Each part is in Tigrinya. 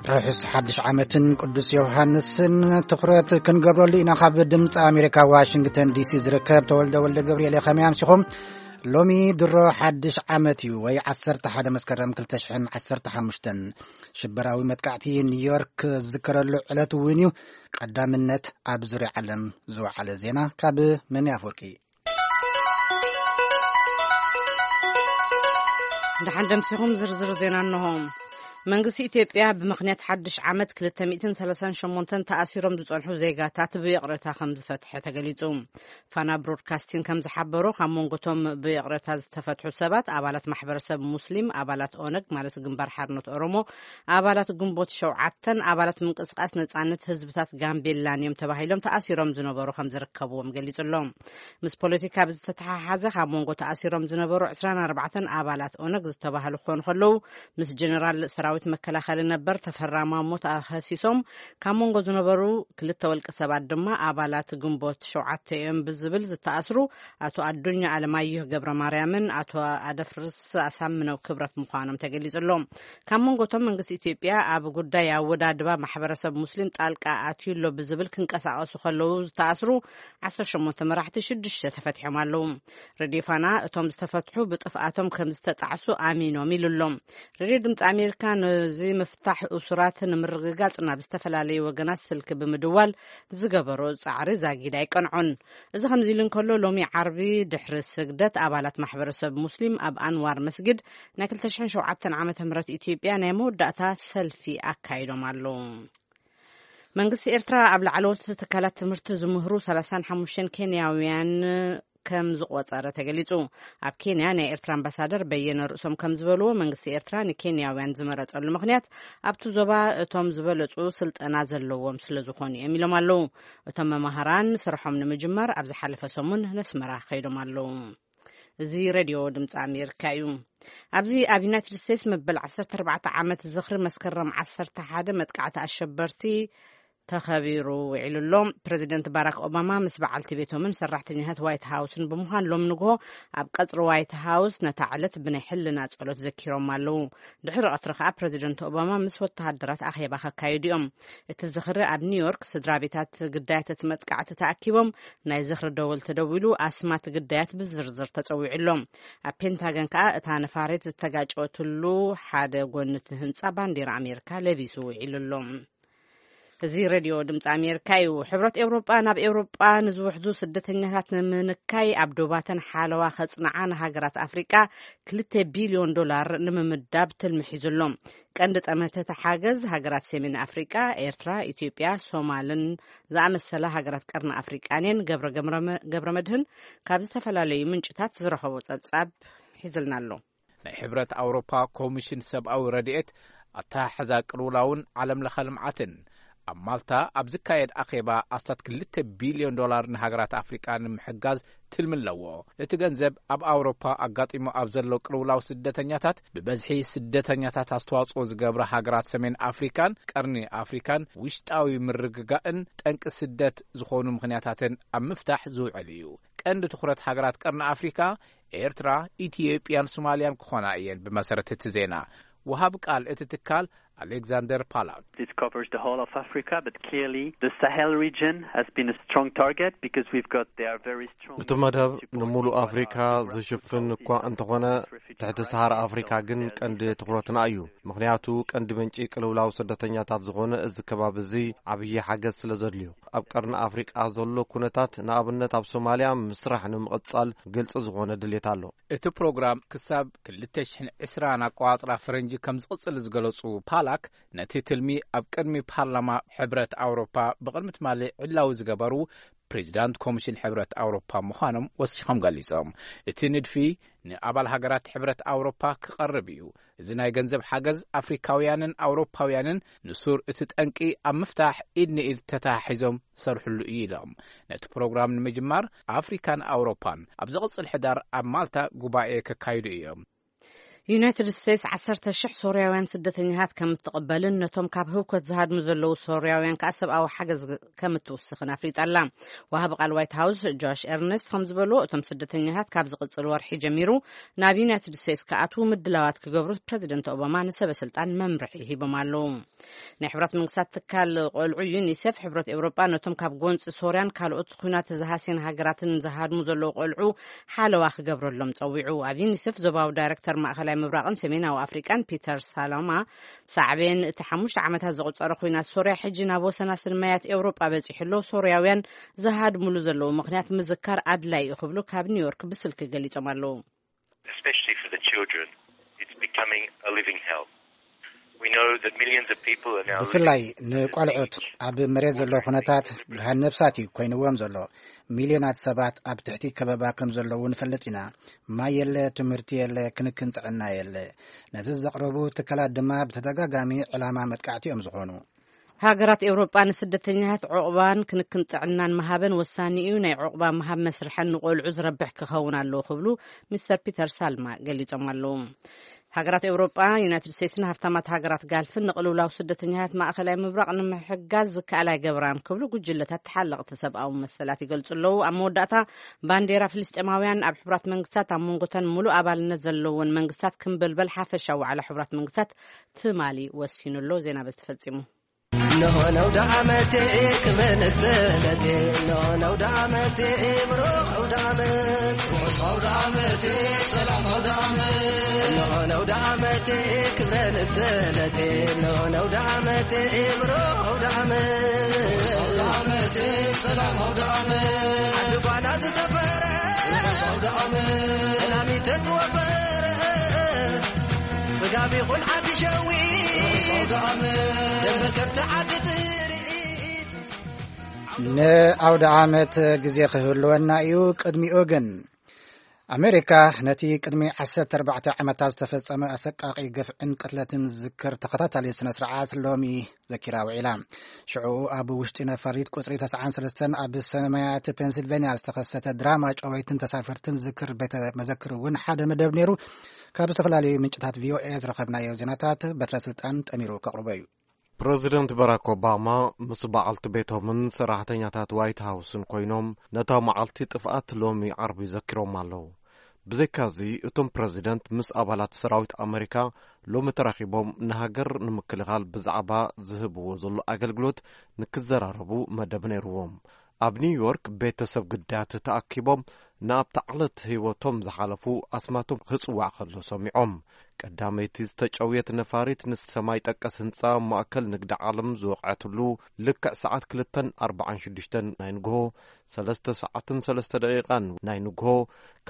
ርሑስ ሓድሽ ዓመትን ቅዱስ ዮሃንስን ትኹረት ክንገብረሉ ኢና። ካብ ድምፂ ኣሜሪካ ዋሽንግተን ዲሲ ዝርከብ ተወልደ ወልደ ገብርኤል። ከመይ ኣምሲኹም? ሎሚ ድሮ ሓድሽ ዓመት እዩ፣ ወይ ዓሰርተ ሓደ መስከረም ክልተ ሽሕን ዓሰርተ ሓሙሽተን። ሽበራዊ መጥቃዕቲ ኒውዮርክ ዝዝከረሉ ዕለት እውን እዩ። ቀዳምነት ኣብ ዙርያ ዓለም ዝወዓለ ዜና ካብ መኒ ኣፍወርቂ። ደሓን ደምሲኹም ዝርዝር ዜና እንሆ። መንግስቲ ኢትዮጵያ ብምኽንያት ሓድሽ ዓመት ክልተ ሚእትን ሰላሳን ሸሞንተን ተኣሲሮም ዝጸንሑ ዜጋታት ብይቕሬታ ከም ዝፈትሐ ተገሊጹ። ፋና ብሮድካስቲንግ ከም ዝሓበሮ፣ ካብ መንጎቶም ብይቕሬታ ዝተፈትሑ ሰባት ኣባላት ማሕበረሰብ ሙስሊም፣ ኣባላት ኦነግ ማለት ግንባር ሓርነት ኦሮሞ፣ ኣባላት ግንቦት ሸውዓተን ኣባላት ምንቅስቃስ ነጻነት ህዝብታት ጋምቤላን እዮም ተባሂሎም ተኣሲሮም ዝነበሩ ከም ዝርከብዎም ገሊጹ ኣሎ። ምስ ፖለቲካ ብዝተተሓሓዘ፣ ካብ መንጎ ተኣሲሮም ዝነበሩ ዕስራን ኣርባዕተን ኣባላት ኦነግ ዝተባህሉ ክኾኑ ከለዉ፣ ምስ ጀነራል ሰራዊት መከላኸሊ ነበር ተፈራ ማሞ ተኸሲሶም ካብ መንጎ ዝነበሩ ክልተ ወልቂ ሰባት ድማ ኣባላት ግንቦት ሸውዓተ እዮም ብዝብል ዝተኣስሩ ኣቶ ኣዱኛ ኣለማየሁ ገብረ ማርያምን ኣቶ ኣደፍርስ ኣሳምነው ክብረት ምዃኖም ተገሊጹ ኣሎ። ካብ መንጎቶም መንግስቲ ኢትዮጵያ ኣብ ጉዳይ ኣወዳድባ ማሕበረሰብ ሙስሊም ጣልቃ ኣትዩ ኣሎ ብዝብል ክንቀሳቐሱ ከለዉ ዝተኣስሩ ዓሰርተ ሸሞንተ መራሕቲ ሽዱሽተ ተፈትሖም ኣለዉ። ሬድዮ ፋና እቶም ዝተፈትሑ ብጥፍኣቶም ከም ዝተጣዕሱ ኣሚኖም ኢሉ ኣሎ። ሬድዮ ድምፂ ኣሜሪካ ነዚ ምፍታሕ እሱራት ንምርግጋፅ ናብ ዝተፈላለዩ ወገናት ስልኪ ብምድዋል ዝገበሮ ፃዕሪ ዛጊድ ኣይቀንዖን። እዚ ከምዚ ኢሉ እንከሎ፣ ሎሚ ዓርቢ ድሕሪ ስግደት ኣባላት ማሕበረሰብ ሙስሊም ኣብ ኣንዋር መስጊድ ናይ ክልተ ሽሕን ሸውዓተን ዓመተ ምህረት ኢትዮጵያ ናይ መወዳእታ ሰልፊ ኣካይዶም ኣለዉ። መንግስቲ ኤርትራ ኣብ ላዕለዎት ትካላት ትምህርቲ ዝምህሩ ሰላሳን ሓሙሽተን ኬንያውያን ከም ዝቆጸረ ተገሊጹ። ኣብ ኬንያ ናይ ኤርትራ ኣምባሳደር በየነ ርእሶም ከም ዝበልዎ፣ መንግስቲ ኤርትራ ንኬንያውያን ዝመረጸሉ ምኽንያት ኣብቲ ዞባ እቶም ዝበለጹ ስልጠና ዘለዎም ስለ ዝኾኑ እዮም ኢሎም ኣለዉ። እቶም መማህራን ስርሖም ንምጅማር ኣብ ዝሓለፈ ሰሙን ነስመራ ከይዶም ኣለዉ። እዚ ሬድዮ ድምፂ ኣሜሪካ እዩ። ኣብዚ ኣብ ዩናይትድ ስቴትስ መበል ዓሰርተ ኣርባዕተ ዓመት ዝኽሪ መስከረም ዓሰርተ ሓደ መጥቃዕቲ ኣሸበርቲ ተኸቢሩ ውዒሉ ኣሎ። ፕሬዚደንት ባራክ ኦባማ ምስ በዓልቲ ቤቶምን ሰራሕተኛታት ዋይት ሃውስን ብምዃን ሎም ንግሆ ኣብ ቀጽሪ ዋይት ሃውስ ነታ ዕለት ብናይ ሕልና ጸሎት ዘኪሮም ኣለዉ። ድሕሪ ቀትሪ ከኣ ፕሬዚደንት ኦባማ ምስ ወተሃደራት ኣኼባ ከካይዱ እዮም። እቲ ዝኽሪ ኣብ ኒውዮርክ ስድራ ቤታት ግዳያት እቲ መጥቃዕቲ ተኣኪቦም ናይ ዝኽሪ ደወል ተደዊሉ ኣስማት ግዳያት ብዝርዝር ተጸዊዑ ኣሎ። ኣብ ፔንታገን ከኣ እታ ነፋሪት ዝተጋጨወትሉ ሓደ ጎኒ እቲ ህንጻ ባንዲራ ኣሜሪካ ለቢሱ ውዒሉ ኣሎ። እዚ ሬድዮ ድምፂ ኣሜሪካ እዩ። ሕብረት ኤውሮጳ ናብ ኤውሮጳ ንዝውሕዙ ስደተኛታት ንምንካይ ኣብ ዶባተን ሓለዋ ከጽንዓ ንሃገራት ኣፍሪቃ ክልተ ቢልዮን ዶላር ንምምዳብ ትልሚ ሒዙ ኣሎ። ቀንዲ ጠመተ እቲ ሓገዝ ሃገራት ሰሜን ኣፍሪቃ፣ ኤርትራ፣ ኢትዮጵያ፣ ሶማልን ዝኣመሰላ ሃገራት ቀርኒ ኣፍሪቃን እየን። ገብረ ገምረ-፣ ገብረ መድህን ካብ ዝተፈላለዩ ምንጭታት ዝረኸቦ ጸብጻብ ሒዝልና ኣሎ። ናይ ሕብረት ኣውሮፓ ኮሚሽን ሰብኣዊ ረድኤት፣ ኣተሓሕዛ ቅልውላውን ዓለም ለኸ ልምዓትን ኣብ ማልታ ኣብ ዝካየድ ኣኼባ ኣስታት ክልተ ቢልዮን ዶላር ንሃገራት ኣፍሪቃ ንምሕጋዝ ትልሚ ኣለዎ። እቲ ገንዘብ ኣብ ኣውሮፓ ኣጋጢሙ ኣብ ዘሎ ቅልውላው ስደተኛታት፣ ብበዝሒ ስደተኛታት ኣስተዋጽኦ ዝገብራ ሃገራት ሰሜን ኣፍሪካን ቀርኒ ኣፍሪካን ውሽጣዊ ምርግጋእን ጠንቂ ስደት ዝኾኑ ምኽንያታትን ኣብ ምፍታሕ ዝውዕል እዩ። ቀንዲ ትኹረት ሃገራት ቀርኒ ኣፍሪካ ኤርትራ፣ ኢትዮጵያን ሶማልያን ክኾና እየን። ብመሰረት እቲ ዜና፣ ወሃብ ቃል እቲ ትካል ኣሌክዛንደር ፓላክ፣ This covers the whole of Africa, but clearly the Sahel region has been a strong target because we've got, they are very strong እቲ መደብ ንምሉእ ኣፍሪካ ዝሽፍን እኳ እንተኾነ፣ ትሕቲ ሰሃራ ኣፍሪካ ግን ቀንዲ ትኹረትና እዩ። ምኽንያቱ ቀንዲ ምንጪ ቅልውላው ስደተኛታት ዝኾነ እዚ ከባቢ እዚ ዓብዪ ሓገዝ ስለ ዘድልዮ፣ ኣብ ቀርኒ ኣፍሪቃ ዘሎ ኩነታት፣ ንኣብነት ኣብ ሶማልያ፣ ምስራሕ ንምቕጻል ግልጺ ዝኾነ ድሌት ኣሎ። እቲ ፕሮግራም ክሳብ ክልተ ሽሕን ዕስራን ኣቆጻጽራ ፈረንጂ ከም ዝቕጽል ዝገለጹ ፓላክ፣ ነቲ ትልሚ ኣብ ቅድሚ ፓርላማ ሕብረት ኣውሮፓ ብቕድሚ ትማሊ ዕላዊ ዝገበሩ ፕሬዚዳንት ኮሚሽን ሕብረት ኣውሮፓ ምዃኖም ወሲኾም ገሊጾም። እቲ ንድፊ ንኣባል ሃገራት ሕብረት ኣውሮፓ ክቐርብ እዩ። እዚ ናይ ገንዘብ ሓገዝ ኣፍሪካውያንን ኣውሮፓውያንን ንሱር እቲ ጠንቂ ኣብ ምፍታሕ ኢድ ንኢድ ተተሓሒዞም ዝሰርሕሉ እዩ ኢሎም። ነቲ ፕሮግራም ንምጅማር ኣፍሪካን ኣውሮፓን ኣብ ዝቕጽል ሕዳር ኣብ ማልታ ጉባኤ ከካይዱ እዮም። ዩናይትድ ስቴትስ ዓሰርተ ሽሕ ሶርያውያን ስደተኛታት ከም እትቕበልን ነቶም ካብ ህውከት ዝሃድሙ ዘለዉ ሶርያውያን ከኣ ሰብኣዊ ሓገዝ ከም እትውስኽን ኣፍሊጣ ኣላ። ወሃቢ ቃል ዋይት ሃውስ ጆሽ ኤርነስት ከም ዝበልዎ፣ እቶም ስደተኛታት ካብ ዝቕጽል ወርሒ ጀሚሩ ናብ ዩናይትድ ስቴትስ ክኣትዉ ምድላዋት ክገብሩ ፕረዚደንት ኦባማ ንሰበ ስልጣን መምርሒ ሂቦም ኣለዉ። ናይ ሕብራት መንግስታት ትካል ቆልዑ ዩኒሴፍ፣ ሕብረት ኤውሮጳ ነቶም ካብ ጎንፂ ሶርያን ካልኦት ኲናት ዝሃስየን ሃገራትን ዝሃድሙ ዘለዉ ቆልዑ ሓለዋ ክገብረሎም ጸዊዑ። ኣብ ዩኒሴፍ ዞባዊ ዳይሬክተር ማእኸላይ ምብራቕን ሰሜናዊ ኣፍሪቃን ፒተር ሳሎማ፣ ሳዕቤን እቲ ሓሙሽተ ዓመታት ዘቑጸረ ኲናት ሶርያ ሕጂ ናብ ወሰናስን ማያት ኤውሮጳ በጺሑ ኣሎ፣ ሶርያውያን ዝሃድሙሉ ዘለዉ ምኽንያት ምዝካር ኣድላይ እዩ ክብሉ ካብ ኒውዮርክ ብስልኪ ገሊጾም ኣለዉ። Especially for the children, it's becoming a living hell. We know that millions of people are now living ብፍላይ ንቆልዑት ኣብ መሬት ዘሎ ኩነታት ገሃን ነብሳት እዩ ኮይንዎም ዘሎ። ሚልዮናት ሰባት ኣብ ትሕቲ ከበባ ከም ዘለዉ ንፈልጥ ኢና። ማይ የለ፣ ትምህርቲ የለ፣ ክንክን ጥዕና የለ። ነዚ ዘቕረቡ ትካላት ድማ ብተደጋጋሚ ዕላማ መጥቃዕቲ እዮም ዝኾኑ። ሃገራት ኤውሮጳ ንስደተኛታት ዑቕባን ክንክን ጥዕናን ምሃበን ወሳኒ እዩ። ናይ ዑቕባ ምሃብ መስርሐን ንቆልዑ ዝረብሕ ክኸውን ኣለዎ ክብሉ ሚስተር ፒተር ሳልማ ገሊጾም ኣለዉ። ሃገራት ኤውሮጳ፣ ዩናይትድ ስቴትስን ሃፍታማት ሃገራት ጋልፍን ንቅልውላው ስደተኛታት ማእኸላይ ምብራቕ ንምሕጋዝ ዝከኣል ኣይገብራን ክብሉ ጉጅለታት ተሓለቕቲ ሰብኣዊ መሰላት ይገልጹ ኣለዉ። ኣብ መወዳእታ ባንዴራ ፍልስጤማውያን ኣብ ሕቡራት መንግስታት ኣብ መንጎተን ሙሉእ ኣባልነት ዘለዎን መንግስታት ክንበልበል ሓፈሻዊ ዋዕላ ሕቡራት መንግስታት ትማሊ ወሲኑ ኣሎ። ዜና በዚ ተፈጺሙ። እንሆ ነውደ ዓመቴ ክብረ ንግስነቴ፣ እንሆ ነውደ ዓመቴ ብሩኽ ኣውደ ዓመት። ርሑስ ኣውደ ዓመቴ፣ ሰላም ኣውደ ዓመት። እንሆ ነውደ ዓመቴ ክብረ ንግስነቴ፣ እንሆ ነውደ ዓመቴ ብሩኽ ኣውደ ዓመት። ርሑስ ኣውደ ዓመቴ፣ ሰላም ኣውደ ዓመት። ዓዲ ጓና ዝሰፈረ፣ ርሑስ ኣውደ ዓመት። ሰላም ይተትወፈረ፣ ስጋብ ይኹን ዓዲ ሸዊት፣ ደንበ ከብቲ ዓዲ ትርኢት። ንኣውደ ዓመት ግዜ ክህልወና እዩ። ቅድሚኡ ግን ኣሜሪካ ነቲ ቅድሚ ዓሰርተ ኣርባዕተ ዓመታት ዝተፈጸመ ኣሰቃቒ ግፍዕን ቅትለትን ዝዝክር ተኸታታሊ ስነ ስርዓት ሎሚ ዘኪራ ውዒላ። ሽዑ ኣብ ውሽጢ ነፋሪት ቁጽሪ ተስዓን ሰለስተን ኣብ ሰማያት ፔንሲልቬንያ ዝተኸሰተ ድራማ ጨወይትን ተሳፈርትን ዝዝክር ቤተ መዘክር እውን ሓደ መደብ ነይሩ። ካብ ዝተፈላለዩ ምንጭታት ቪኦኤ ዝረኸብናዮ ዜናታት በትረ ስልጣን ጠሚሩ ከቕርቦ እዩ። ፕረዚደንት ባራክ ኦባማ ምስ በዓልቲ ቤቶምን ሰራሕተኛታት ዋይት ሃውስን ኮይኖም ነታ መዓልቲ ጥፍኣት ሎሚ ዓርቢ ዘኪሮም ኣለዉ። ብዘይካዚ እቶም ፕረዚደንት ምስ ኣባላት ሰራዊት ኣመሪካ ሎሚ ተራኺቦም ንሃገር ንምክልኻል ብዛዕባ ዝህብዎ ዘሎ ኣገልግሎት ንክዘራረቡ መደብ ነይርዎም። ኣብ ኒውዮርክ ቤተሰብ ግዳያት ተኣኪቦም ንኣብታ ዕለት ህይወቶም ዝሓለፉ ኣስማቶም ክጽዋዕ ከሎ ሰሚዖም። ቀዳመይቲ ዝተጨውየት ነፋሪት ንሰማይ ጠቀስ ህንጻ ማእከል ንግዲ ዓለም ዝወቕዐትሉ ልክዕ ሰዓት ክልተን ኣርባዓን ሽዱሽተን ናይ ንግሆ፣ ሰለስተ ሰዓትን ሰለስተ ደቂቓን ናይ ንግሆ፣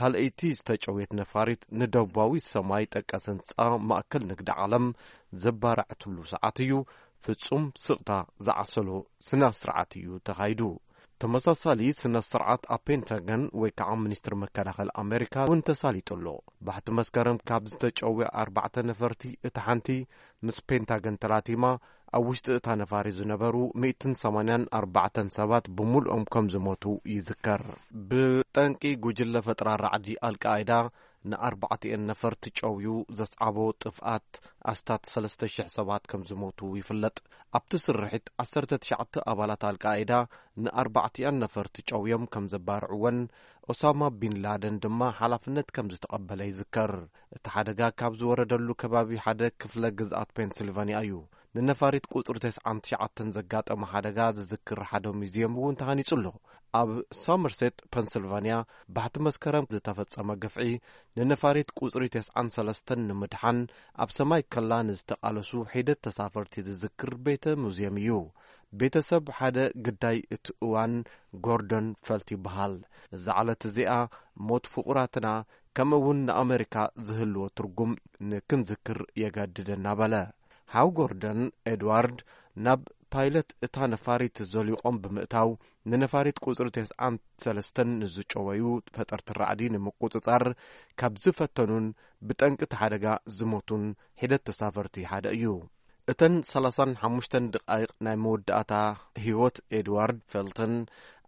ካልኣይቲ ዝተጨውየት ነፋሪት ንደቡባዊ ሰማይ ጠቀስ ህንጻ ማእከል ንግዲ ዓለም ዘባረዐትሉ ሰዓት እዩ። ፍጹም ስቕታ ዝዓሰሎ ስነ ስርዓት እዩ ተኻይዱ። ተመሳሳሊ ስነ ስርዓት ኣብ ፔንታገን ወይ ከዓ ሚኒስትሪ መከላኸሊ ኣሜሪካ እውን ተሳሊጡ ኣሎ። ባሕቲ መስከረም ካብ ዝተጨወ ኣርባዕተ ነፈርቲ እታ ሓንቲ ምስ ፔንታገን ተላቲማ፣ ኣብ ውሽጢ እታ ነፋሪት ዝነበሩ ሚእትን ሰማንያን ኣርባዕተን ሰባት ብምልኦም ከም ዝሞቱ ይዝከር። ብጠንቂ ጉጅለ ፈጠራ ራዕዲ ኣልቃይዳ ንኣርባዕቲኤን ነፈርቲ ጨውዩ ዘስዓቦ ጥፍኣት ኣስታት ሰለስተ ሽሕ ሰባት ከም ዝሞቱ ይፍለጥ። ኣብቲ ስርሒት ዓሰርተ ትሽዓተ ኣባላት ኣልቃይዳ ንኣርባዕቲኣን ነፈርቲ ጨውዮም ከም ዘባርዕወን ኦሳማ ቢን ላደን ድማ ሓላፍነት ከም ዝተቐበለ ይዝከር። እቲ ሓደጋ ካብ ዝወረደሉ ከባቢ ሓደ ክፍለ ግዝኣት ፔንሲልቫንያ እዩ። ንነፋሪት ቁጽሪ ተስዓን ትሽዓተን ዘጋጠመ ሓደጋ ዝዝክር ሓደ ሙዚየም እውን ተሃኒጹ ኣሎ። ኣብ ሳመርሴት ፐንስልቫንያ ባሕቲ መስከረም ዝተፈጸመ ግፍዒ ንነፋሪት ቁጽሪ ተስዓን ሰለስተን ንምድሓን ኣብ ሰማይ ከላ ንዝተቓለሱ ሒደት ተሳፈርቲ ዝዝክር ቤተ ሙዚየም እዩ። ቤተሰብ ሓደ ግዳይ እቲ እዋን ጎርደን ፈልት ይበሃል። እዛ ዕለት እዚኣ ሞት ፍቑራትና ከምኡ እውን ንኣመሪካ ዝህልዎ ትርጉም ንክንዝክር የገድደና በለ። ሓው ጎርደን ኤድዋርድ ናብ ፓይለት እታ ነፋሪት ዘሊቖም ብምእታው ንነፋሪት ቁጽሪ ተስዓን ሰለስተን ንዝጨወዩ ፈጠርቲ ራዕዲ ንምቁጽጻር ካብ ዝፈተኑን ብጠንቂ እቲ ሓደጋ ዝሞቱን ሒደት ተሳፈርቲ ሓደ እዩ። እተን ሰላሳን ሓሙሽተን ደቓይቕ ናይ መወዳእታ ህይወት ኤድዋርድ ፈልትን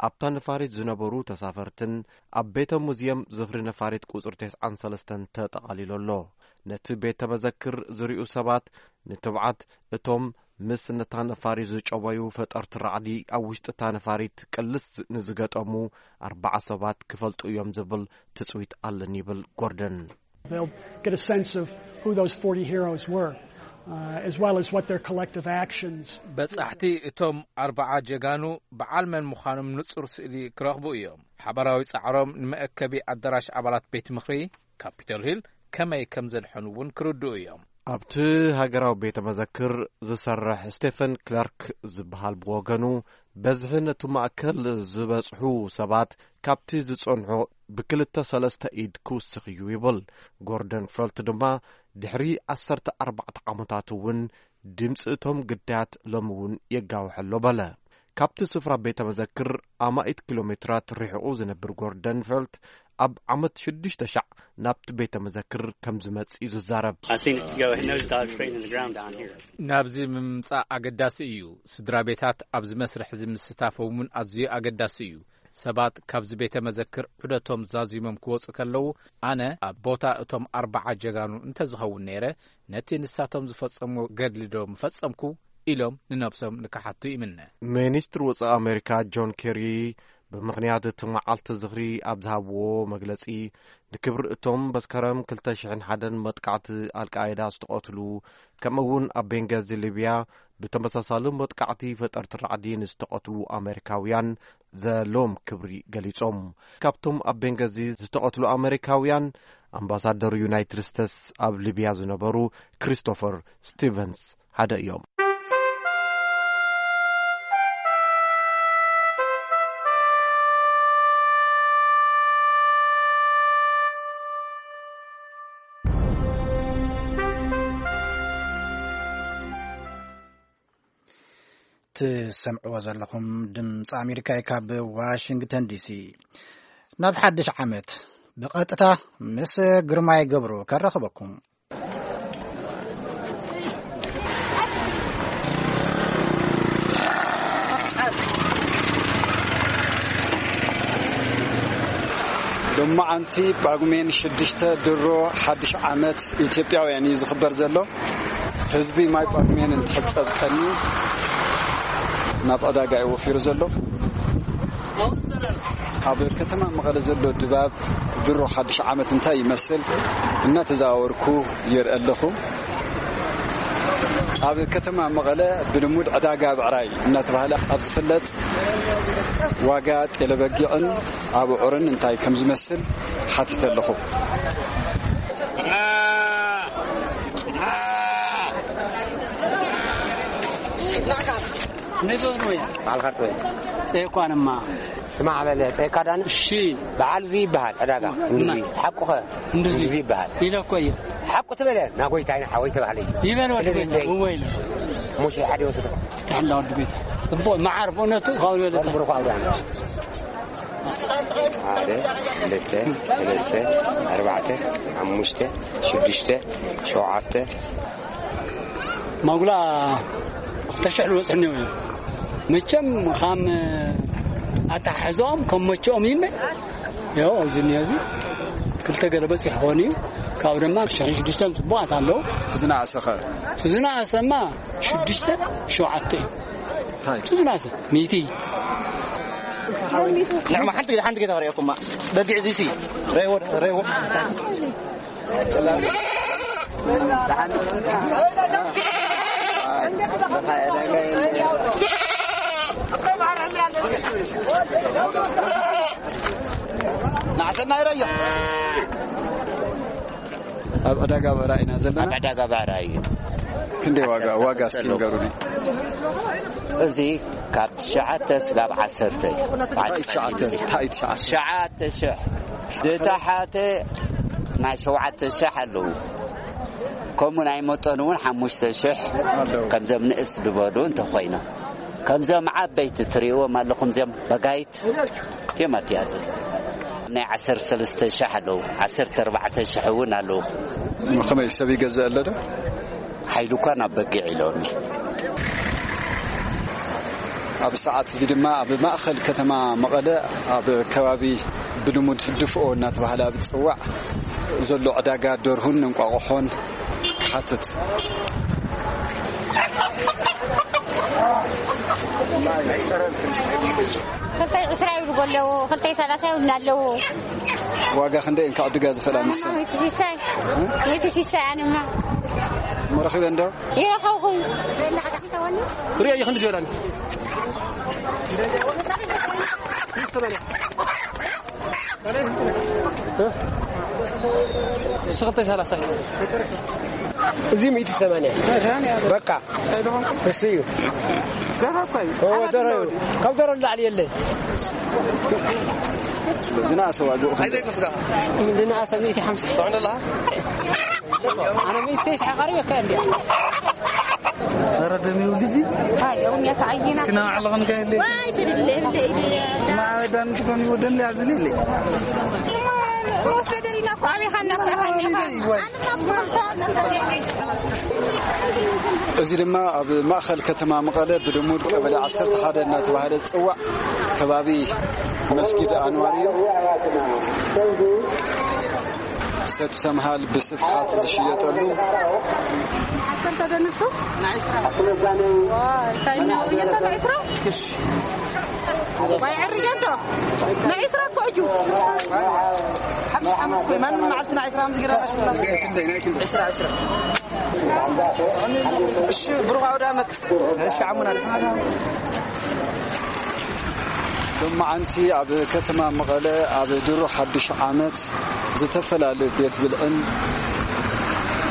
ኣብታ ነፋሪት ዝነበሩ ተሳፈርትን ኣብ ቤተ ሙዚየም ዝኽሪ ነፋሪት ቁጽሪ ተስዓን ሰለስተን ተጠቓሊሉ ኣሎ። ነቲ ቤተ መዘክር ዝሪኡ ሰባት ንትብዓት እቶም ምስ ነታ ነፋሪት ዝጨወዩ ፈጠርቲ ራዕዲ ኣብ ውሽጢ እታ ነፋሪት ቅልስ ንዝገጠሙ ኣርባዓ ሰባት ክፈልጡ እዮም ዝብል ትጽቢት ኣለኒ ይብል ጎርደን። They'll get a sense of who those forty heroes were. uh, as well as what their collective actions. በጻሕቲ እቶም ኣርባዓ ጀጋኑ በዓል መን ምዃኖም ንጹር ስእሊ ክረኽቡ እዮም። ሓባራዊ ጻዕሮም ንመአከቢ ኣዳራሽ ኣባላት ቤት ምኽሪ ካፒቶል ሂል ከመይ ከም ዘድሐኑ እውን ክርድኡ እዮም። ኣብቲ ሃገራዊ ቤተ መዘክር ዝሰርሕ ስቴፈን ክላርክ ዝበሃል ብወገኑ፣ በዝሒ ነቲ ማእከል ዝበጽሑ ሰባት ካብቲ ዝጸንሖ ብክልተ ሰለስተ ኢድ ክውስኽ እዩ ይብል። ጎርደን ፈልት ድማ ድሕሪ ዓሰርተ ኣርባዕተ ዓመታት እውን ድምፂ እቶም ግዳያት ሎሚ እውን የጋውሐ ኣሎ በለ። ካብቲ ስፍራ ቤተ መዘክር ኣማኢት ኪሎ ሜትራት ርሒቑ ዝነብር ጎርደን ፈልት፣ ኣብ ዓመት ሽዱሽተ ሻዕ ናብቲ ቤተ መዘክር ከም ዝመጽእ እዩ ዝዛረብ። I seen it go. It nosedives straight into the ground down here. ናብዚ ምምጻእ ኣገዳሲ እዩ። ስድራ ቤታት ኣብዚ መስርሕ እዚ ምስታፎም እውን ኣዝዩ ኣገዳሲ እዩ። ሰባት ካብዚ ቤተ መዘክር ዑደቶም ዛዚሞም ክወጹ ከለዉ፣ ኣነ ኣብ ቦታ እቶም ኣርባዓ ጀጋኑ እንተዝኸውን ነይረ፣ ነቲ ንሳቶም ዝፈጸምዎ ገድሊ ዶ ምፈጸምኩ ኢሎም ንነብሶም ንክሓቱ ይምነ። ሚኒስትር ወጻኢ ኣሜሪካ ጆን ኬሪ ብምኽንያት እቲ መዓልቲ ዝኽሪ ኣብ ዝሃብዎ መግለጺ፣ ንክብሪ እቶም መስከረም ክልተ ሽሕን ሓደን መጥቃዕቲ ኣልቃይዳ ዝተቐትሉ፣ ከምኡ እውን ኣብ ቤንጋዚ ሊብያ ብተመሳሳሊ መጥቃዕቲ ፈጠርቲ ራዕዲ ንዝተቐትሉ ኣሜሪካውያን ዘለዎም ክብሪ ገሊጾም። ካብቶም ኣብ ቤንጋዚ ዝተቐትሉ ኣሜሪካውያን፣ ኣምባሳደር ዩናይትድ ስቴትስ ኣብ ሊብያ ዝነበሩ ክሪስቶፈር ስቲቨንስ ሓደ እዮም። ትሰምዕዎ ዘለኹም ድምፂ ኣሜሪካ እዩ፣ ካብ ዋሽንግተን ዲሲ። ናብ ሓድሽ ዓመት ብቐጥታ ምስ ግርማይ ገብሩ ከራኽበኩም። ሎማዓንቲ ጳጉሜን ሽዱሽተ ድሮ ሓድሽ ዓመት ኢትዮጵያውያን እዩ ዝኽበር ዘሎ። ህዝቢ ማይ ጳጉሜን እንትሕጸብ ቀንዩ ናብ ዕዳጋ እዩ ወፊሩ ዘሎ። ኣብ ከተማ መቐለ ዘሎ ድባብ ድሮ ሓድሽ ዓመት እንታይ ይመስል እናተዘዋወርኩ የርኢ ኣለኹ። ኣብ ከተማ መቐለ ብልሙድ ዕዳጋ ብዕራይ እናተባህለ ኣብ ዝፍለጥ ዋጋ ጤለበጊዕን ኣቡዑርን እንታይ ከም ዝመስል ሓቲተ ኣለኹ። ባዕልካ ትወይ። ጸይኳንማ። ስማዕ በለ፣ ጸይካ ዳነ። እሺ። በዓል እዚ ይበሃል፣ ዕዳጋ። እንድዚ። ሓቁኸ? እንድዚ። እንድዚ ይበሃል። ኢለ እኮ እየ። ሓቁ ትበለ፣ ናጎይታይ ንሓወይ ተባህለ እዩ። ይበል ወዲ ስለዚ ቤት፣ እንታይ? እወ ኢለ። ሙሽ ሓደ ይወስድ። ፍትሕና ወዲ ቤት። ጽቡቕ መዓር ብእውነቱ ካብ ዝበለጠ። መርምሩ ካብ ዳነ። ሓደ፣ ክልተ፣ ሰለስተ፣ ኣርባዕተ፣ ሓሙሽተ፣ ሽዱሽተ፣ ሸውዓተ። ማጉላ ክልተ ሽሕ ዝበጽሑ እኒኦ እዮም። መቸም ከም ኣተሓሕዛኦም ከም መቸኦም እዩ እምበር። ያው ኣብዚ እኒኦ እዚ ክልተ ገለ በጺሑ ክኾን እዩ። ካብኡ ድማ ሽሕን ሽዱሽተን ጽቡቓት ኣለዉ። እቲ ዝነኣሰ ኸ? እቲ ዝነኣሰማ ሽዱሽተ ሸውዓተ እዩ። እንታይ? እቲ ዝነኣሰ ሚእቲ። ንዕማ ሓንቲ ሓንቲ ጌታ ሪእኩማ። በጊዕ እዚሲ ረይዎ ረይዎ። ናዕሰና ይረዮ። ኣብ ዕዳጋ ብዕራይ ኢና ዘለና። ኣብ ዕዳጋ ብዕራይ እዩ። ክንደይ ዋጋ? ዋጋ እስኪ ንገሩኒ። እዚ ካብ ትሽዓተ ስጋብ ዓሰርተ እዩ። ታሕቲ ትሽዓተ፣ ታሕቲ ትሽዓተ። ትሽዓተ ሽሕ። ዝተሓተ ናይ ሸውዓተ ሽሕ ኣለዉ። ከምኡ ናይ መጠኑ እውን ሓሙሽተ ሽሕ ኣለዉ። ከምዞም ንእስ ዝበሉ እንተኾይኖም። ከምዞም ዓበይቲ ትርእይዎም ኣለኹም፣ እዚኦም በጋይት እቲኦም ኣትያት። ናይ ዓሰርተ ሰለስተ ሽሕ ኣለዉ፣ ዓሰርተ ኣርባዕተ ሽሕ እውን ኣለዉ። ከመይ ሰብ ይገዝእ ኣሎ ዶ? ሓይሉ እኳ ናብ በጊዕ ኢሎኒ። ኣብ ሰዓት እዚ ድማ ኣብ ማእኸል ከተማ መቐለ ኣብ ከባቢ ብልሙድ ድፍኦ እናተባህለ ኣብ ዝፅዋዕ ዘሎ ዕዳጋ ደርሁን እንቋቑሖን ክሓትት። ክልተይ ዕስራ ይብሉ ኣለዉ፣ ክልተይ ሰላሳ ይብሉ ኣለዉ። ዋጋ ክንደይ እንካ ዕድጋ ዝኽእላ ንሳ? ሚእቲ ሲሳይ፣ ሚእቲ ሲሳይ ኣነማ መረኺበ እንዶ? ይረኸብኹም። ሪኦ ይኽንዲ ዝበላኒ። ሽቕልተይ ሰላሳ እዩ። እዚ ሚእቲ ሰማንያ በቃ እሱ እዩ። ደረኳይ እዎ፣ ደረ እዩ። ካብ ደረ ንላዕሊ የለ። ዝነኣሰ ዋግኡ ከ? ዝነኣሰ ሚእቲ ሓምሳ። ኣነ ሚእቲ ተስዓ ቀሪበካ እንዲ። ኧረ ደም ይውልጂ። ኣይ፣ እውን ያተኣይና። እስኪ ናባዕልኽን ከ የለ? ዋይ፣ ትድለ፣ እንደ ኢድ። ማዕበዳን ትኾን ይወደን ያዝልለ። ወሰደን ኢላ እኮ ኣበይ ኻና፣ ኣበይ ኻና? ዋይ። እዚ ድማ ኣብ ማእኸል ከተማ መቐለ ብልሙድ ቀበሌ ዓሰርተ ሓደ እናተባህለ ዝፅዋዕ ከባቢ መስጊድ ኣንዋር እዩ። ሰት ሰምሃል ብስፍሓት ዝሽየጠሉ። ዓሰርተ ደንሱ? ንዕስራ። ዋይ፣ እንታይ እናውየታ ንዕስራ? እሺ። ዋይ፣ ዕርየቶ። ንዕስራ እኮ እዩ። ሓሙሽተ ዓመት እኮ እዩ። ማንም መዓልቲ ንዕስራ ምዝግራ ናሽላ። ክንደይ፣ ናይ ክንደይ? ዕስራ፣ ዕስራ። እሺ፣ ብሩኽ ኣውደ ዓመት። እሺ፣ ዓሙና። ሎማዓንቲ ኣብ ከተማ መቐለ ኣብ ድሮ ሓድሽ ዓመት ዝተፈላለዩ ቤት ብልዕን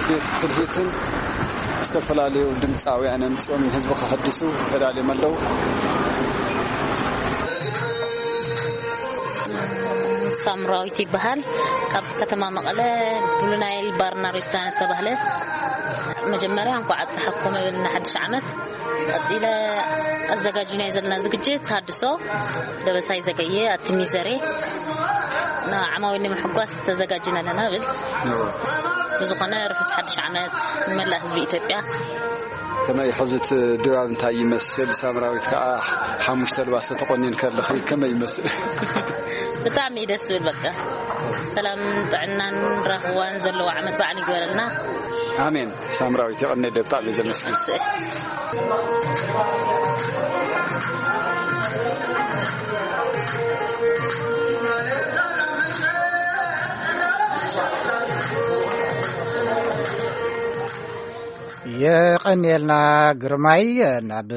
ቤት ትልሂትን ዝተፈላለዩ ድምፃውያን ኣምፂኦም ንህዝቢ ከሐድሱ ተዳልዮም ኣለዉ። ሳምራዊት ይበሃል። ካብ ከተማ መቐለ ብሉ ናይል ባርና ሬስቶራንት ዝተባህለ መጀመርያ እንኳዕ ኣብፀሓኩም እብል ንሓድሽ ዓመት። ቀጺለ ኣዘጋጅናዮ ዘለና ዝግጅት ተሃድሶ ደበሳይ ዘገየ ኣቲ ሚዘሬ ንዓማዊል ንምሕጓስ ተዘጋጅና ኣለና እብል። ብዝኾነ ርሑስ ሓድሽ ዓመት ንመላእ ህዝቢ ኢትዮጵያ። ከመይ ሕዚ እቲ ድባብ እንታይ ይመስል? ሳምራዊት ከኣ ሓሙሽተ ኣልባሶ ተቆኒንኪ ኣለኺ፣ ከመይ ይመስል? ብጣዕሚ እዩ ደስ ዝብል። በቃ ሰላምን ጥዕናን ራህዋን ዘለዎ ዓመት በዓል ይግበረልና። ኣሜን። ሳምራዊት የቐኔ፣ ብጣዕሚ ዘመስግን። እሺ። የቐንየልና ግርማይ፣ ናብ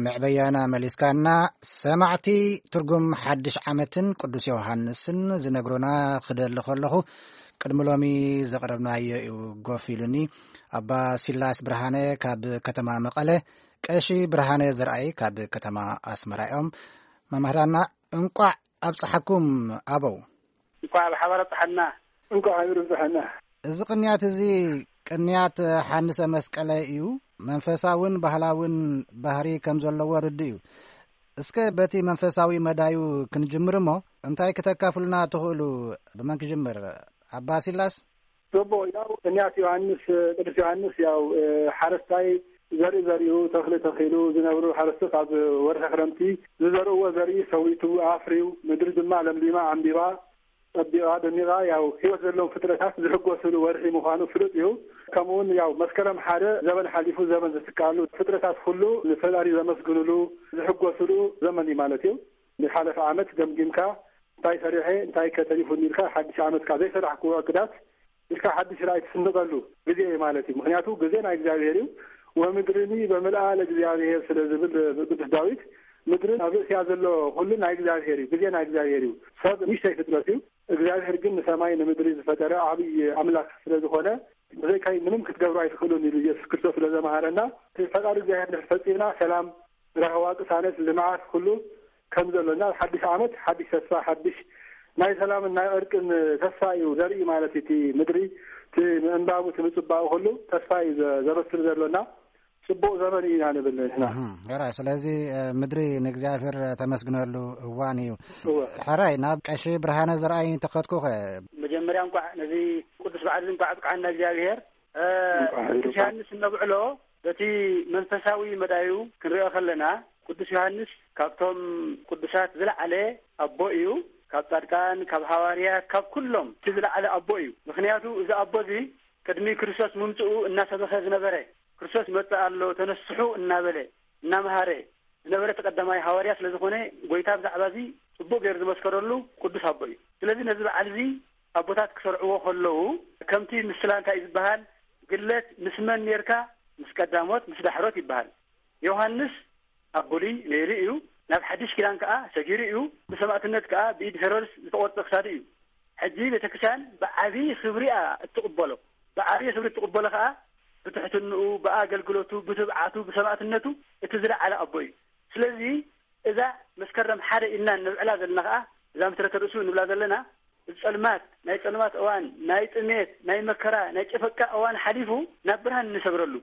መዕበያና መሊስካና። ሰማዕቲ ትርጉም ሓድሽ ዓመትን ቅዱስ ዮሃንስን ዝነግሩና ክደሊ ከለኹ፣ ቅድሚ ሎሚ ዘቕረብናዮ እዩ ጎፍ ኢሉኒ። ኣባ ሲላስ ብርሃነ ካብ ከተማ መቐለ፣ ቀሺ ብርሃነ ዘርኣይ ካብ ከተማ ኣስመራ እዮም። መምህራና፣ እንቋዕ ኣብጽሓኩም ኣበው። እንቋዕ ብሓባር ኣብጽሓና። እንቋዕ ኣብር ኣብጽሓና። እዚ ቅንያት እዚ ቅንያት ሓንሰ መስቀለ እዩ። መንፈሳውን ባህላውን ባህሪ ከም ዘለዎ ርዱእ እዩ። እስከ በቲ መንፈሳዊ መዳዩ ክንጅምር እሞ፣ እንታይ ክተካፍሉና ትኽእሉ? ብመን ክጅምር? ኣባ ሲላስ? ጽቡቕ፣ ያው ቅንያት ዮሃንስ፣ ቅዱስ ዮሃንስ ያው፣ እ፣ ሓረስታይ ዘርኢ ዘሪኡ፣ ተኽሊ ተኺሉ ዝነብሩ ሓረስቶት ኣብ ወርሒ ክረምቲ ዝዘርእዎ ዘርኢ ሰዊቱ ኣፍርዩ፣ ምድሪ ድማ ለምሊማ፣ ዓምቢባ፣ ጸቢቓ፣ ደሚቓ፣ ያው ህይወት ዘለዎም ፍጥረታት ዝሕጎስሉ ወርሒ ምዃኑ ፍሉጥ እዩ። ከምኡውን ያው መስከረም ሓደ ዘበን ሓሊፉ ዘመን ዝትካሉ፣ ፍጥረታት ኩሉ ንፈጣሪ ዘመስግኑሉ፣ ዝሕጎስሉ ዘመን እዩ ማለት እዩ። ንሓለፈ ዓመት ገምጊምካ፣ እንታይ ሰሪሐ፣ እንታይ ከ ተሪፉኒ ኢልካ፣ ሓድሽ ዓመት ከኣ ዘይሰራሕክዎ ዕቅዳት ኢልካ ሓድሽ ራእይ ትስንቐሉ ግዜ እዩ ማለት እዩ። ምኽንያቱ ግዜ ናይ እግዚኣብሔር እዩ። "ወምድርኒ በምልኣ ለእግዚኣብሔር" ስለ ዝብል ቅዱስ ዳዊት፣ ምድርን ኣብ ርእሲኣ ዘሎ ኩሉ ናይ እግዚኣብሔር እዩ። ግዜ ናይ እግዚኣብሔር እዩ። ሰብ ንእሽተይ ፍጥረት እዩ። እግዚኣብሔር ግን ንሰማይ ንምድሪ ዝፈጠረ ዓብዪ ኣምላኽ ስለ ዝኾነ፣ ብዘይካይ ምንም ክትገብሩ ኣይትኽእሉን ኢሉ ኢየሱስ ክርስቶስ ስለ ዘምሃረና፣ እቲ ፈቃድ እግዚኣብሔር እንድሕር ፈጺምና፣ ሰላም፣ ራህዋ፣ ቅሳነት፣ ልምዓት፣ ኩሉ ከም ዘሎና፣ ኣብ ሓድሽ ዓመት ሓድሽ ተስፋ፣ ሓድሽ ናይ ሰላምን ናይ ዕርቅን ተስፋ እዩ ዘርኢ ማለት እዩ። እቲ ምድሪ፣ እቲ ምዕንባቡ፣ እቲ ምጽባኡ ኩሉ ተስፋ እዩ ዘ-፣ ዘበስር ዘሎና። ጽቡቕ ዘመን ኢና ንብል ንሕና። እህም፣ ሕራይ። ስለዚ፣ እ፣ ምድሪ ንእግዚኣብሔር ተመስግነሉ እዋን እዩ። እወ። ሕራይ፣ ናብ ቀሺ ብርሃነ ዘርኣይ እንተኸድኩኸ? መጀመርያ እንቋዕ ነዚ ቅዱስ በዓል እዚ እንቋዕ ኣብቅዓና እግዚኣብሔር። እ፣ እንቋዕ ቅዱስ ኣብቅዓና። ዮሃንስ እነብዕሎ በቲ መንፈሳዊ መዳዩ ክንሪኦ ከለና፣ ቅዱስ ዮሃንስ ካብቶም ቅዱሳት ዝለዓለ ኣቦ እዩ። ካብ ጻድቃን፣ ካብ ሃዋርያት፣ ካብ ኩሎም እቲ ዝለዓለ ኣቦ እዩ። ምኽንያቱ እዚ ኣቦ እዚ ቅድሚ ክርስቶስ ምምጽኡ እናሰበኸ ዝነበረ፣ "ክርስቶስ ይመጽእ ኣሎ፣ ተነስሑ" እናበለ፣ እናመሃረ፣ ዝነበረ እቲ ቀዳማይ ሃዋርያ ስለ ዝኾነ፣ ጎይታ ብዛዕባ እዚ ጽቡቕ ገይሩ ዝመስከረሉ ቅዱስ ኣቦ እዩ። ስለዚ ነዚ በዓል እዚ ኣቦታት ክሰርዕዎ ከለዉ፣ ከምቲ ምስላ እንታይ እዩ ዝበሃል፣ ግለት ምስ መን ኔርካ፣ ምስ ቀዳሞት ምስ ዳሕሮት ይበሃል። ዮሃንስ ኣብ ብሉይ ነይሩ እዩ፣ ናብ ሓድሽ ኪዳን ከኣ ሰጊሩ እዩ። ብሰማእትነት ከኣ ብኢድ ሄሮድስ ዝተቖርጸ ክሳዱ እዩ። ሕጂ ቤተክርስትያን ብዓብዪ ክብሪ እያ እትቕበሎ። ብዓብዪ ክብሪ እትቕበሎ ከኣ ብትሕትንኡ፣ ብኣገልግሎቱ፣ ብትብዓቱ፣ ብሰማእትነቱ እቲ ዝለዓለ ኣቦ እዩ። ስለዚ እዛ መስከረም ሓደ ኢልና ንብዕላ ዘለና ከኣ፣ እዛ ምትረተ ርእሱ ንብላ ዘለና፣ እዚ ጸልማት፣ ናይ ጸልማት እዋን፣ ናይ ጥሜት፣ ናይ መከራ፣ ናይ ጨፈቃ እዋን ሓሊፉ ናብ ብርሃን እንሰግረሉ፣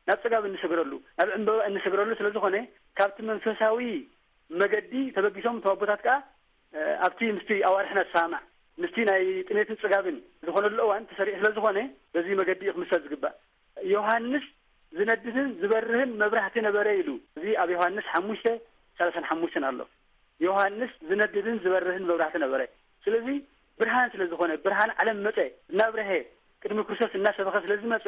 ናብ ጽጋብ እንሰግረሉ፣ ናብ ዕምበባ እንሰግረሉ ስለ ዝኾነ፣ ካብቲ መንፈሳዊ መገዲ ተበጊሶም እቶም ኣቦታት ከኣ፣ እ፣ ኣብቲ ምስቲ ኣዋርሕና ዝሰማማዕ፣ ምስቲ ናይ ጥሜትን ጽጋብን ዝኾነሉ እዋን ተሰሪዑ ስለ ዝኾነ፣ በዚ መገዲ እዩ ክምሰል ዝግባእ። ዮሃንስ ዝነድድን ዝበርህን መብራህቲ ነበረ ኢሉ። እዚ ኣብ ዮሃንስ ሓሙሽተ ሰላሳን ሓሙሽተን ኣሎ። ዮሃንስ ዝነድድን ዝበርህን መብራህቲ ነበረ። ስለዚ ብርሃን ስለ ዝኾነ፣ ብርሃን ዓለም መጸ፣ እናብረሀ፣ ቅድሚ ክርስቶስ እናሰበኸ ስለ ዝመጸ፣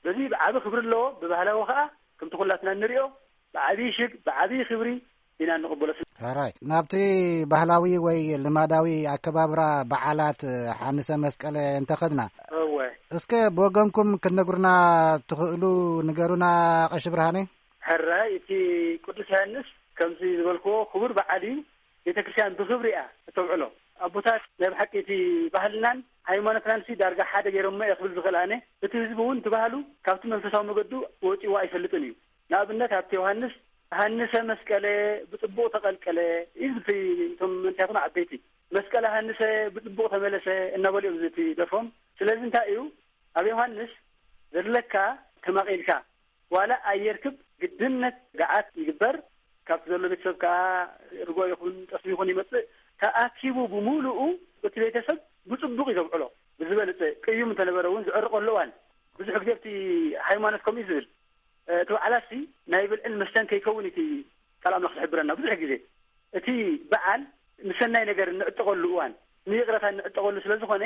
በዚ ብዓቢ ክብሪ ኣለዎ። ብባህላዊ ከኣ፣ ከምቲ ኩላትና እንሪኦ፣ ብዓቢ ሽግ፣ ብዓቢ ክብሪ ኢና እንቕበሎ። ሕራይ፣ ናብቲ ባህላዊ ወይ ልማዳዊ ኣከባብራ በዓላት ሓንሰ መስቀለ እንተኸድና፣ እወ። እስከ ብወገንኩም ክትነግሩና ትኽእሉ ንገሩና፣ ቀሺ ብርሃነ። ሕራይ፣ እቲ ቅዱስ ዮሃንስ ከምዚ ዝበልክዎ ክቡር በዓል እዩ። ቤተ ክርስቲያን ብክብሪ እያ እተብዕሎ። ኣቦታት ናይ ብሓቂ እቲ ባህልናን ሃይማኖትናን ሲ ዳርጋ ሓደ ገይሮሞ እየ ክብል ዝኽእል ኣነ። እቲ ህዝቢ እውን እቲ ባህሉ ካብቲ መንፈሳዊ መገዱ ወፂዎ ኣይፈልጥን እዩ። ንኣብነት ኣብቲ ዮሃንስ ሃንሰ መስቀለ ብጽቡቕ ተቐልቀለ እዩ ዝብል፣ እቶም መንእሰያት ዓበይቲ መስቀለ ሃንሰ ብጽቡቕ ተመለሰ እናበሉ እዮም ዝደርፎም። ስለዚ እንታይ እዩ ኣብ ዮሃንስ ዘለካ ተማቒልካ ዋላ ኣየርክብ ግድነት ገዓት ይግበር። ካብቲ ዘሎ ቤተሰብ ከኣ ርጎ ይኹን ጠስሚ ይኹን ይመጽእ፣ ተኣኪቡ ብምሉኡ እቲ ቤተሰብ ብጽቡቕ እዩ ዘብዕሎ። ብዝበለጸ ቅዩም እንተነበረ እውን ዝዕርቀሉ እዋን ብዙሕ ግዜ ኣብቲ ሃይማኖት ከምኡ እዩ ዝብል። እ፣ እቲ በዓላት ሲ ናይ ብልዕን መስተን ከይከውን እቲ ቃል ኣምላኽ ዝሕብረና ብዙሕ ግዜ። እቲ በዓል ንሰናይ ነገር እንዕጠቐሉ እዋን፣ ንይቕረታ እንዕጠቐሉ ስለ ዝኾነ፣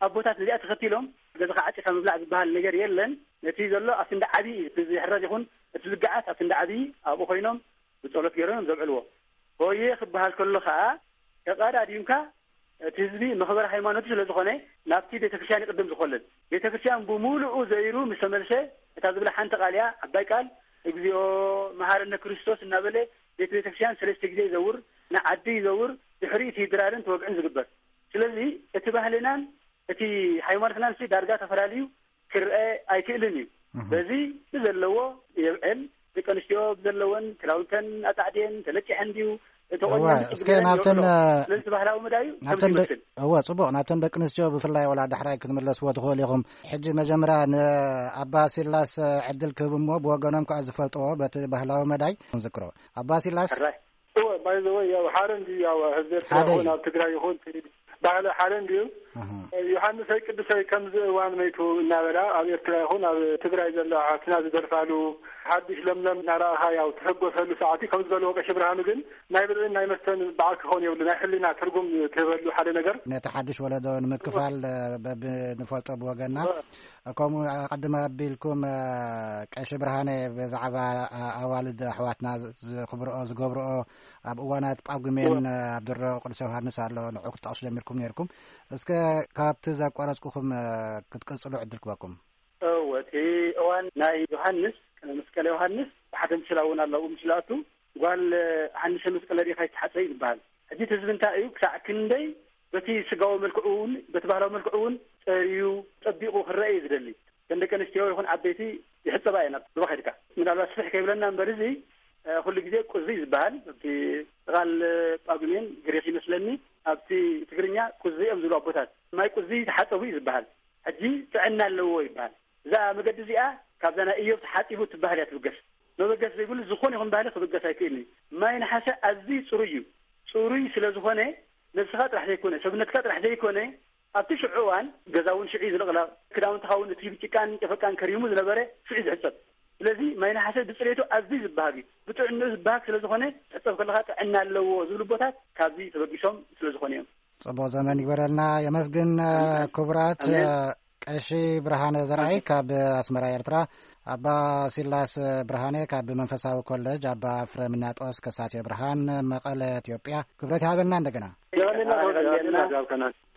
ኣቦታት ነዚኣ ተኸቲሎም ገዛኻ ዓጺኻ ምብላዕ ዝበሃል ነገር የለን። ነቲ ዘሎ ኣብቲ እንዳ ዓቢ እዩ፣ እቲ ዝሕረድ ይኹን እቲ ዝገዓት ኣብቲ እንዳ ዓቢ ኣብኡ ኮይኖም ብጸሎት ገይሮም እዮም ዘብዕልዎ። ሆየ ክበሃል ከሎ ከኣ ተቐዳዲምካ እቲ ህዝቢ መኽበሪ ሃይማኖቱ ስለ ዝኾነ ናብቲ ቤተክርስትያን ይቕድም ዝኾለል። ቤተክርስትያን ብምሉኡ ዘይሩ ምስ ተመልሰ እታ ዝብላ ሓንቲ ቃል እያ፣ ዓባይ ቃል፣ "እግዚኣብሔር መሐረነ ክርስቶስ" እናበለ ቤት ቤተክርስትያን ሰለስተ ግዜ ይዘውር፣ ንዓዲ ይዘውር፣ ድሕሪኡ እቲ ድራርን ተወግዕን ዝግበር። ስለዚ እቲ ባህልናን እቲ ሃይማኖትናን ሲ ዳርጋ ተፈላልዩ ክርአ ኣይክእልን እዩ። እህ። በዚ ብዘለዎ የብዕል፣ ደቂ ኣንስትዮ ብዘለወን ክዳውንተን ኣጻዕድየን ተለቂሐን ድዩ ተቆኒነን እወ፣ ጽቡቅ እስከ ገይረን ናብተን፣ ይውዕሎ። እ፣ ስለዚ እቲ ባህላዊ መዳዩ ናብተን ከምዚ ደ-፣ ይመስል። እወ፣ ጽቡቕ፣ ናብተን ደቂ ኣንስትዮ ብፍላይ ወላ ዳሕራይ ክትምለስዎ ትኽእሉ ኢኹም። ሕጂ መጀመርያ ንኣባ ሲላስ፣ እ፣ ዕድል ክህብ እሞ ብወገኖም ከኣ ዝፈልጥዎ በቲ ባህላዊ መዳይ ንዝክሮ። ኣባ ሲላስ? ሕራይ። እወ፣ ባይ ዘ ወይ፣ ያው ሓደ እንዲ፣ ያው ህዝቢ ኤርትራ ሓደ ይኹን እዩ። ኣብ ትግራይ ይኹን እቲ ባህሊ ሓደ እንድዩ። ኣሃ። ዮሃንሰይ ቅዱሰይ ከምዚ እዋን መይቱ እናበላ ኣብ ኤርትራ ይኹን ኣብ ትግራይ ዘለዋ ኣሕዋትና ዝደርፋሉ፣ ሓድሽ ለምለም እናረኣኻ ያው ትሕጎሰሉ ሰዓት እዩ። ከም ዝበልዎ ቀሺ ብርሃኑ ግን ናይ ብልዕን ናይ መስተን በዓል ክኸውን የብሉ፣ ናይ ሕሊና ትርጉም ትህበሉ ሓደ ነገር። ነቲ ሓድሽ ወለዶ ንምክፋል፣ እ፣ በብ-፣ ንፈልጦ ብወገንና። እወ። ከምኡ ኣቐድም ኣቢልኩም፣ እ፣ ቀሺ ብርሃነ ብዛዕባ፣ እ፣ ኣዋልድ ኣሕዋትና ዝ-፣ ዝኽብርኦ፣ ዝገብርኦ ኣብ እዋናት ጳጉሜን፣ እወ። እ፣ ኣብ ድሮ ቅዱስ ዮሃንስ ኣሎ፣ ንዑ ክትጠቕሱ ጀሚርኩም ነይርኩም። እስከ ካብቲ ዘቋረጽኩኹም፣ እ፣ ክትቅጽሉ ዕድል ክበኩም። እወ፣ እቲ እዋን ናይ ዮሃንስ፣ ቅነ መስቀል ዮሃንስ፣ ብሓደ ምስላ እውን ኣለዉ። ምስላቱ ጓል፣ እ፣ ሃንሰ መስቀለ ርኢኻ ኣይትሓጸ እዩ ዝበሃል። ሕጂ እቲ ህዝቢ እንታይ እዩ፣ ክሳዕ ክንደይ በቲ ስጋዊ መልክዑ እውን፣ በቲ ባህላዊ መልክዑ እውን ጸርዩ፣ ጸቢቑ ክረአ እዩ ዝደሊ። ከም ደቂ ኣንስትዮ ይኹን ዓበይቲ ይሕጸባ እየን። ኣብ ሩባ ከይድካ ምናልባት ስፍሕ ከይብለና እምበር፣ እዚ፣ እ፣ ኩሉ ግዜ ቁዚ እዩ ዝበሃል። ኣብቲ ቃል ጳጉሜን ግሪኽ ይመስለኒ፣ ኣብቲ ትግርኛ ቁዚ እዮም ዝብሉ ኣቦታት። ማይ ቁዚ ተሓጸቡ እዩ ዝበሃል። ሕጂ ጥዕና ኣለዎ ይበሃል። እዛ መገዲ እዚኣ ካብዛ ናይ ኢዮብ ተሓጺቡ እትበሃል እያ ትብገስ። መበገስ ዘይብሉ ዝኾነ ይኹን ባህሊ ክብገስ ኣይክእልን እዩ። ማይ ነሓሰ ኣዝዩ ጽሩይ እዩ። ጽሩይ ስለ ዝኾነ ነብስኻ ጥራሕ ዘይኮነ፣ ሰብነትካ ጥራሕ ዘይኮነ፣ ኣብቲ ሽዑ እዋን ገዛ እውን ሽዑ እዩ ዝልቕለቕ። ክዳውንትኻ እውን እቲ ብጭቃን ጨፈቃን ከሪሙ ዝነበረ ሽዑ እዩ ዝሕጸብ። ስለዚ ማይ ነሓሰ ብጽሬቱ ኣዝዩ ዝበሃግ እዩ። ብጥዕንኡ ዝበሃግ ስለ ዝኾነ፣ ትሕጸብ ከለኻ ጥዕና ኣለዎ ዝብሉ ኣቦታት ካብዚ ተበጊሶም ስለ ዝኾነ እዮም። ጽቡቕ ዘመን ይግበረልና። የመስግን፣ ኣሜን። ክቡራት፣ ኣሜን። እ፣ ቀሺ ብርሃነ ዘርኣይ ካብ ኣስመራ ኤርትራ፣ ኣባ ሲላስ ብርሃነ ካብ መንፈሳዊ ኮለጅ ኣባ ፍረምናጦስ ከሳቴ ብርሃን መቐለ ኢትዮጵያ። ክብረት ይሃበልና እንደገና።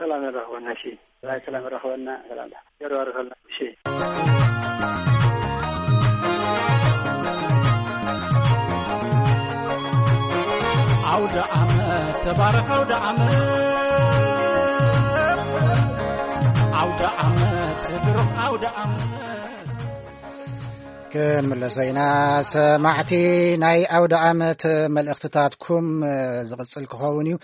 ሰላም ያራኸበና። እሺ። ሰላም ያራኸበና። ሰላም ያራኸበና። እሺ። ኣውደ ዓመት ተባረኽ ኣውደ ዓመት፣ ኣውደ ዓመት ብሩኽ ኣውደ ዓመት። ክንምለሶ ኢና። ሰማዕቲ፣ ናይ ኣውደ ዓመት መልእኽትታትኩም ዝቕጽል ክኸውን እዩ።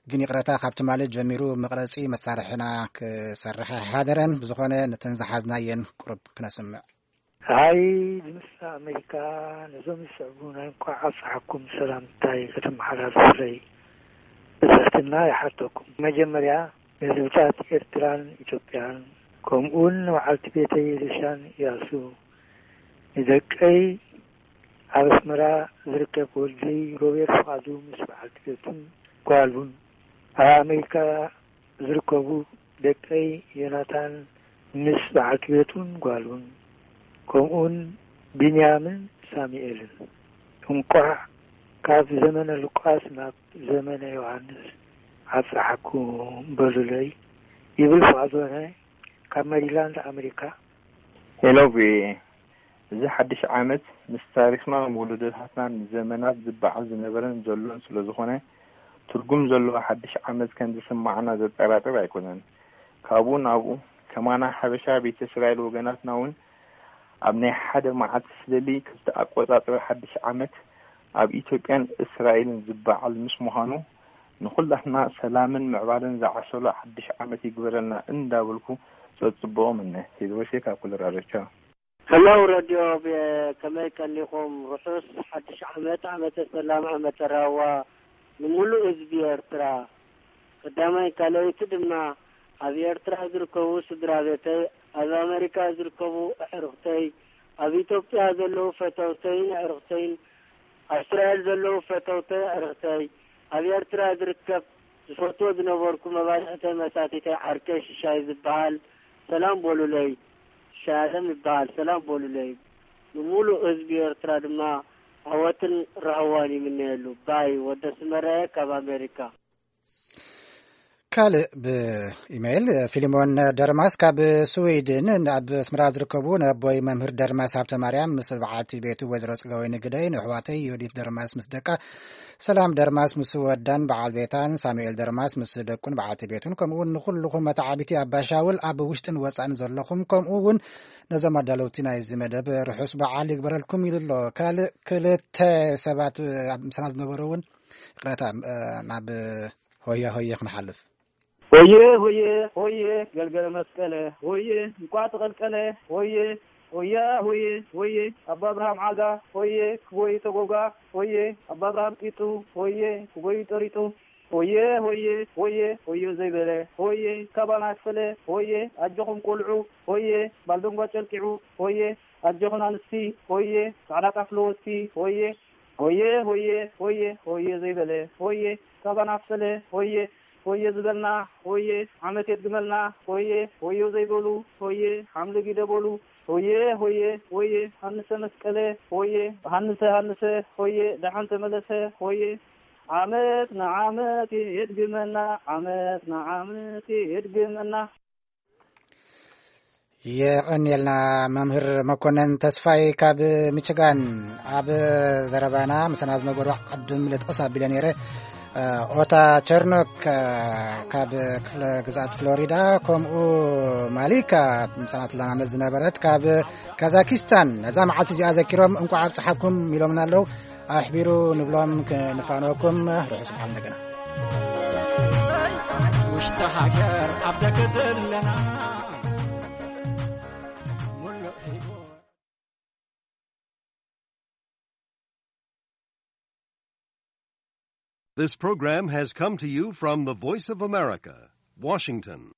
ግን ይቕረታ፣ ካብ ትማሊ ጀሚሩ መቕረጺ መሳርሕና ክሰርሕ ኣይሓደረን። ብዝኾነ፣ ነተን ዝሓዝናየን ቁሩብ ክነስምዕ። ሃይ፣ ድምፂ ኣሜሪካ ነዞም ዝስዕቡ ናይ እንኳዕ ኣብፀሐኩም ሰላምታይ ከተመሓላልፉለይ ብትሕትና ይሓተኩም። መጀመርያ፣ ንህዝብታት ኤርትራን ኢትዮጵያን፣ ከምኡውን ንበዓልቲ ቤተይ ሪሻን እያሱ፣ ንደቀይ ኣብ ኣስመራ ዝርከብ ወዲ ሮቤል ፍቓዱ ምስ በዓልቲ ቤቱን ጓሉን፣ ኣብ ኣሜሪካ ዝርከቡ ደቀይ ዮናታን ምስ በዓልቲ ቤቱን ጓሉን፣ ከምኡውን ቢንያምን ሳሙኤልን፣ እንቋዕ ካብ ዘመነ ሉቃስ ናብ ዘመነ ዮሃንስ ኣብጽሓኩም በሉለይ ይብል ፍቓዶነ ካብ መሪላንድ ኣሜሪካ። ሄሎ ቪኦኤ፣ እዚ ሓድሽ ዓመት ምስ ታሪኽናን ወለዶታትናን ንዘመናት ዝበዓል ዝነበረን ዘሎን ስለ ዝኾነ፣ ትርጉም ዘለዎ ሓድሽ ዓመት ከም ዝስማዓና ዘጠራጥር ኣይኮነን። ካብኡ ናብኡ፣ ከማና ሓበሻ ቤተ እስራኤል ወገናትና እውን ኣብ ናይ ሓደ መዓልቲ ስለሊ ክልተ ኣቆጻጽራ ሓድሽ ዓመት ኣብ ኢትዮጵያን እስራኤልን ዝበዓል ምስ ምዃኑ፣ ንኹላትና ሰላምን ምዕባለን ዝዓሰሎ ሓድሽ ዓመት ይግበረልና እንዳበልኩ ጸጽብኦ ምነ። ሄድሮሴ ካብ ኮሎራዶ። ቻው። ሄሎ ረድዮ ብ-፣ ከመይ ቀኒኹም? ርሑስ ሓድሽ ዓመት፣ ዓመተ ሰላም፣ ዓመተ ራህዋ ንምሉእ ህዝቢ ኤርትራ። ቀዳማይ ካልኣይቲ ድማ ኣብ ኤርትራ ዝርከቡ ስድራ ቤተይ፣ ኣብ ኣመሪካ ዝርከቡ ኣዕሩኽተይ፣ ኣብ ኢትዮጵያ ዘለዉ ፈተውተይን ኣዕሩኽተይን፣ ኣብ እስራኤል ዘለዉ ፈተውተይ ኣዕሩኽተይ፣ ኣብ ኤርትራ ዝርከብ ዝፈትዎ ዝነበርኩ መባልዕተይ መሳቲተይ ዓርከይ ሽሻይ ዝበሃል ሰላም በሉለይ። ሽሻይ ኣለም ይበሃል፣ ሰላም በሉለይ። ንምሉእ ህዝቢ ኤርትራ ድማ ዓወትን ራህዋን ይምነየሉ። ባይ ወደ ስመረየ ካብ ኣሜሪካ። ካልእ ብኢሜይል፣ ፊሊሞን ደርማስ ካብ ስዊድን፣ ኣብ ኣስመራ ዝርከቡ ነቦይ መምህር ደርማስ ሃብተማርያም ምስ በዓልቲ ቤቱ ወይዘሮ ጽገወይኒ ግደይ፣ ንኣሕዋተይ ዮዲት ደርማስ ምስ ደቃ፣ ሰላም ደርማስ ምስ ወዳን በዓል ቤታን፣ ሳሙኤል ደርማስ ምስ ደቁን በዓልቲ ቤቱን፣ ከምኡውን ንኹልኹም መተዓቢቲ ኣባሻውል ኣብ ውሽጥን ወጻእን ዘለኹም፣ ከምኡ እውን ነዞም ኣዳለውቲ ናይዚ መደብ ርሑስ በዓል ይግበረልኩም ኢሉ ኣሎ። ካልእ ክልተ ሰባት ኣብ ምሳና ዝነበሩ እውን ይቕረታ፣ እ፣ ናብ ሆየ ሆየ ክንሓልፍ። ሆየ ሆየ ሆየ ገልገለ መስቀለ ሆየ እንቋዕ ተቐልቀለ ሆየ ሆያ ሆየ ሆየ ኣባ ኣብርሃም ዓጋ ሆየ ክጎዩ ተጎጋ ሆየ ኣባ ኣብርሃም ጢጡ ሆየ ክጎዩ ጠሪጡ ሆየ ሆየ ሆየ ሆየ ዘይበለ ሆየ ካባና ክፈለ ሆየ ኣጆኹም ቆልዑ ሆየ ባልደንጓ ጨልቂዑ ሆየ ኣጆኹን ኣንስቲ ሆየ ጻዕዳ ጣፍ ለወስቲ ሆየ ሆየ ሆየ ሆየ ሆየ ዘይበለ ሆየ ካባና ክፈለ ሆየ ሆየ ዝበልና ሆየ ዓመት የድግመልና ሆየ ሆዮ ዘይበሉ ሆየ ሓምሊ ጊደ በሉ ሆየ ሆየ ሆየ ሃንሰ መስቀለ ሆየ ሃንሰ ሃንሰ ሆየ ደሓን ተመለሰ ሆየ ዓመት ንዓመት የድግመና ዓመት ንዓመት የድግመና። የቐንየልና መምህር መኮነን ተስፋይ ካብ ሚችጋን። ኣብ ዘረባና ምሳና ዝነበሩ ዓዲ ምልጥ ቐስ ኣቢለ ነይረ። ኦታ ቸርኖክ ካብ ክፍለ ግዝኣት ፍሎሪዳ፣ ከምኡ ማሊካ ምሳና ትለማመድ ዝነበረት ካብ ካዛኪስታን፣ ነዛ መዓልቲ እዚኣ ዘኪሮም እንቋዕ ኣብጽሓኩም ኢሎምና ኣለዉ። ኣሕቢሩ ንብሎም ክንፋነወኩም። ርሑስ በዓል እንደገና። ውሽጢ ሃገር ኣብ ደገ ዘለና ሙሉእ ህይወት። This program has come to you from the Voice of America, Washington.